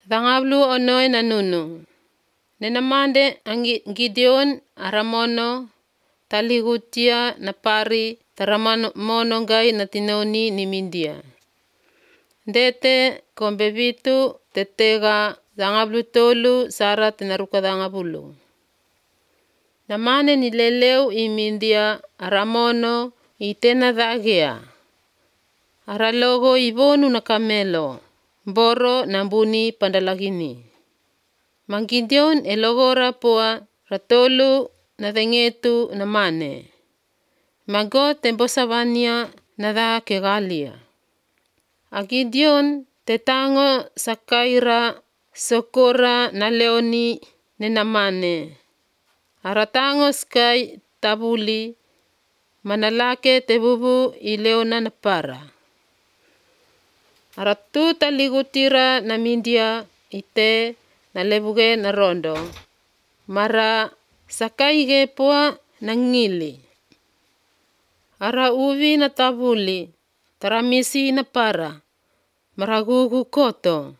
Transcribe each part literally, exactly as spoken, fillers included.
Dhangablu onoy nanunu. Nenamande angi Gideon aramono taligutia napari taramono gai natinoni ni Mindia. Dete kombebitu tetega dhangablu tolu sara tenaruka dhangabulu. Namane ni leleu i Mindia aramono itena dhagea. Aralogo ibonu na kamelo. Boro nambuni pandalagini. Mangideon elogora poa ratolu na dhengetu na mane. Mago tembosavania na dha kegalia. Agideon tetango sakaira sokora na leoni nenamane. Aratango sky tabuli manalake tebubu ileona napara. Aratu taligutira na Mindia ite na lebuge na rondo. Mara sakaige poa na ngili. Ara uvi na tabuli taramisi na para. Maragugu koto.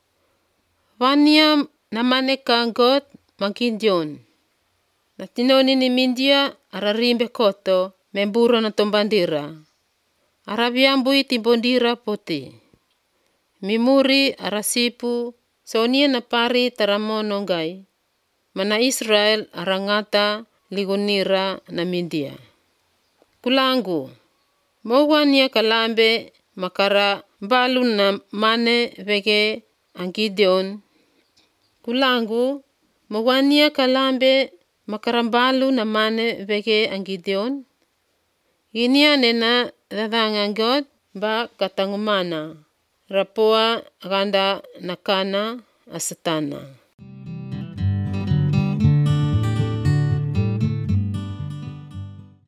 Vania na manekangot Mangideon. Natinoni ni Mindia ararimbe koto memburo na tombandira. Arabiambui timbondira poti. Mimuri arasipu sonia na pari taramono gai. Mana Israel arangata ligunira na Mindia. Kulangu. Mauwania kalambe makara balu na mane vege Gideon. Kulangu. Mauwania kalambe makara balu na mane vege Gideon. Ginia nena dadhangangot ba katangumana. Rapoa ganda nakana asatana.